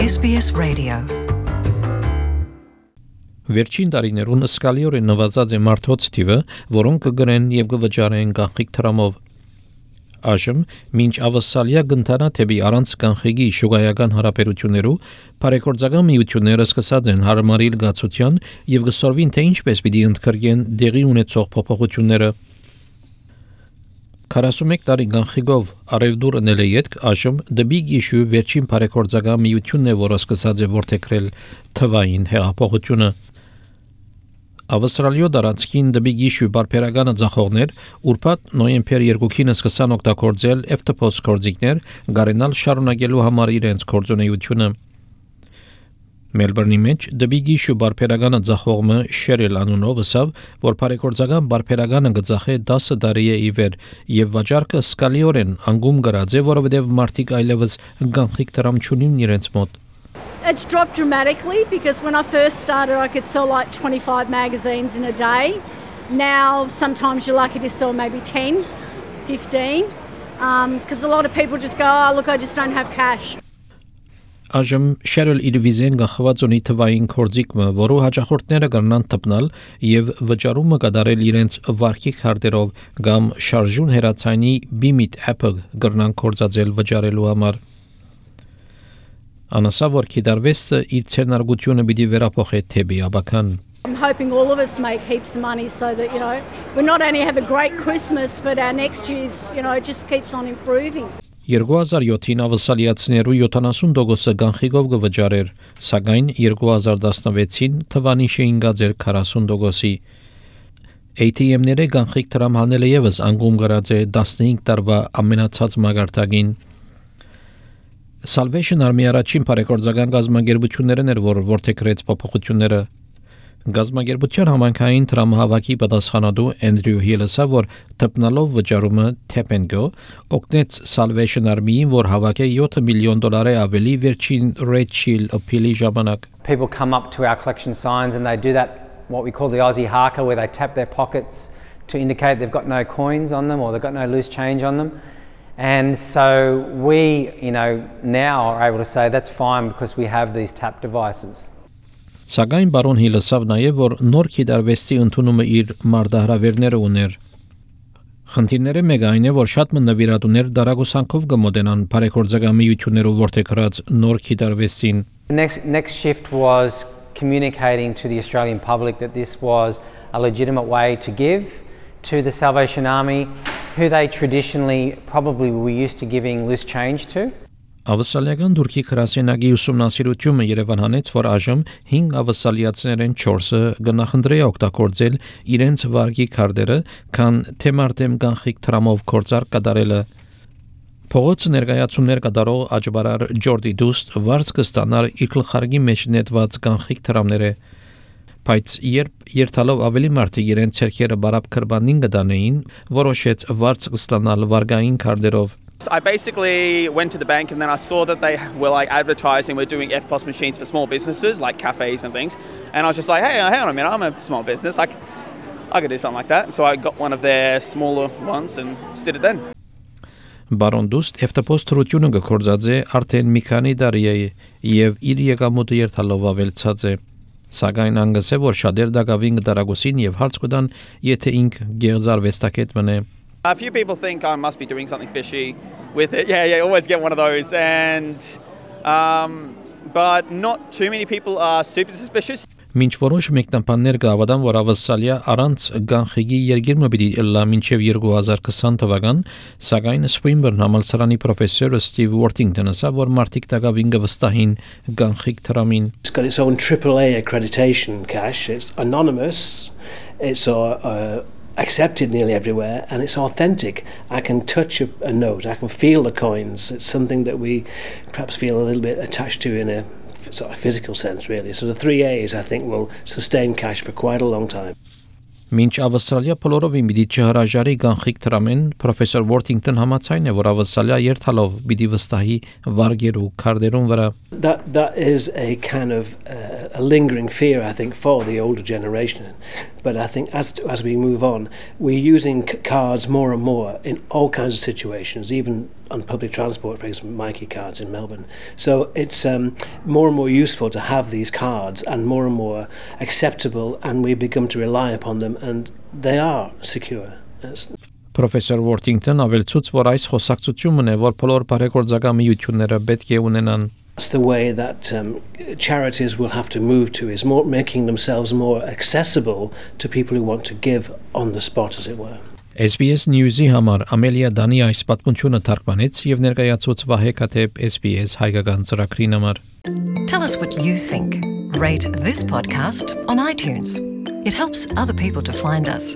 SBS Radio. Վերջին տարիներուն սկալիորեն նվազած է մարդոց թիվը, որոնք կգրեն եւ կվճարեն կանխիկ տրամով։ Այժմ, մինչ ավսալիա գնտանա թեպի առանց կանխիկի շուգայական հարաբերություններու, բարեգործական միությունները սկսած են հարմարիլ գացության եւ գսորվին թե ինչպես պիտի ընդգրկեն դեղի ունեցող փոփոխությունները։ 41 տարի կանխիկով արևդուր ընել է ետք, այժմ The Big Issue վերջին բարեգործական միությունն է, որը սկսած է որդեգրել թվային հեղափոխությունը։ Ավստրալիո դարածքին The Big Issue բարբերականը ձախողներ, ուրբաթ նոյեմբեր 2-ին սկսան օգտագործել FTPOS գործիքներ, գարենալ շարունակելու համար իրենց գործունեությունը։ Մելբուրնի մեջ The Big Issue բարբերականը ձախողումը Sheryl անունով ասավ, որ բարեգործական բարբերականը գծախե 10 տարի է իվեր եւ վաճառքը սկալիորեն անգում գրած է, որովհետեւ մարդիկ այլևս կանխիկ տրամ չունին իրենց մոտ։ It's dropped dramatically because when I first started I could sell like 25 magazines in a day. Now sometimes you're lucky to sell maybe 10, 15 because a lot of people just go, oh look, I just don't have cash. Այժմ Sheryl իր վիզեն գախված ունի թվային կորձիկը, որը հաճախորդները կգնան տպնալ եւ վճարումը կդարել իրենց վարկի քարտերով կամ շարժուն հերացանի BIMIT app-ը կգնան կորձածել վճարելու համար։ Անասա որ կդարվեսը իր ցերնարգությունը պիտի վերափոխի թեպի աբական։ I'm hoping all of us make heaps of money so that, you know, we not only have a great Christmas but our next year's, you know, just keeps on improving. 2007-ին ավսալիացիներու 70% կանխիկով կվճարեր, սակայն 2016-ին թվանի շեինգած էր 40%-ի։ ATM-ները կանխիկ տրամ հանելը եւս անգում գրած է 15 տարվա ամենացած մագարտակին։ Salvation Army առաջին բարեգործական գազագերբություններն էր, որ որդեգրեց փոփոխությունները։ Գազագերբության համանքային տրամահավաքի պատասխանատու Andrew Hill-ը, որ տպնալով վճարումը tap and go, օգնեց Salvation Army-ին, որ հավաքե $7 million ավելի վերջին Red Shield appeal-ի ժամանակ։ People come up to our collection signs and they do that, what we call the Aussie haka, where they tap their pockets to indicate they've got no coins on them or they've got no loose change on them. And so we, you know, now are able to say that's fine because we have these tap devices. Սակայն բարոն Հիլը սավ նաև որ նոր քիդարվեստի ընդունումը իր մարդահրավերները ուներ։ Խնդիրները մեկ այն է, որ շատ նվիրատուներ դարագուսանքով կմոտենան բարեգործական միություններով որդեգրած նոր քիդարվեստին։ The next shift was communicating to the Australian public that this was a legitimate way to give to the Salvation Army, who they traditionally probably were used to giving loose change to. Ավսալիական դուրքի քրասենագի ուսումնասիրությունը Երևան հանեց, որ այժմ 5 ավսալիացիներեն 4-ը գնահնդրե օգտագործել իրենց վարկի քարտերը, քան թեմարտեմ կանխիկ տրամով կորցար կդարելը։ Փողոցը ներկայացումներ կդարող աջբարար Ջորդի Դուստ վարձ կստանար իր գլխարկի մեջ նետված կանխիկ տրամները, բայց երբ երթալով ավելի մարդիկ իրենց ցերքերը բարապ քրբանին կդանեին, որոշեց վարձ կստանալ վարկային քարտերով։ I basically went to the bank and then I saw that they were like advertising we're doing FPOS machines for small businesses like cafes and things, and I was just like, hey, hang on a minute, I'm a small business, I could do something like that. So I got one of their smaller ones and just did it then. Բարոն Դուստ FTPOS թրությունը գործած է արդեն մի քանի տարի է եւ իր եկամուտը երթալով ավելցած է։ Սակայն անգս է որ շատեր դակավին դարագուսին եւ հարց կդան, եթե ինք գեղձարվեստակետ մնե։ A few people think I must be doing something fishy with it. Yeah, always get one of those. And but not too many people are super suspicious. Մինչ որոշ մեկնաբաններ կհավատան, որ ավսալիա առանց կանխիկի երգիրը պիտի լա մինչև 2020 թվական, սակայն Swinburne համալսարանի պրոֆեսոր Steve Worthington ասավ, որ մարդիկ դակավին կվստահին կանխիկ տրամին։ It's got its own AAA accreditation cash. It's anonymous. It's accepted nearly everywhere and it's authentic. I can touch a note, I can feel the coins. It's something that we perhaps feel a little bit attached to in a sort of physical sense really. So the 3 A's I think will sustain cash for quite a long time. Մինչ Ավստրալիա բոլորովին պիտի չհրաժարի կանխիկ տրամեն, պրոֆեսոր Worthington համաձայն է, որ Ավստրալիա երթալով պիտի վստահի վարգերու քարտերուն վրա։ That is a kind of a lingering fear I think for the older generation But I think as we move on, we're using cards more and more in all kinds of situations, even on public transport, for example, Mikey cards in Melbourne. So it's more and more useful to have these cards and more acceptable, and we begin to rely upon them, and they are secure. Պրոֆեսոր Worthington ավելցուց, որ այս խոսակցությունն է, որ բոլոր բարեգործական միությունները պետք է ունենան. That's the way that charities will have to move to, is more making themselves more accessible to people who want to give on the spot, as it were. SBS News-ի համար Ամելիա Դանի այս պատմությունը թարգմանեց եւ ներկայացուց Վահե Կաթեփ SBS հայկական ծրագրին համար. Tell us what you think. Rate this podcast on iTunes. It helps other people to find us.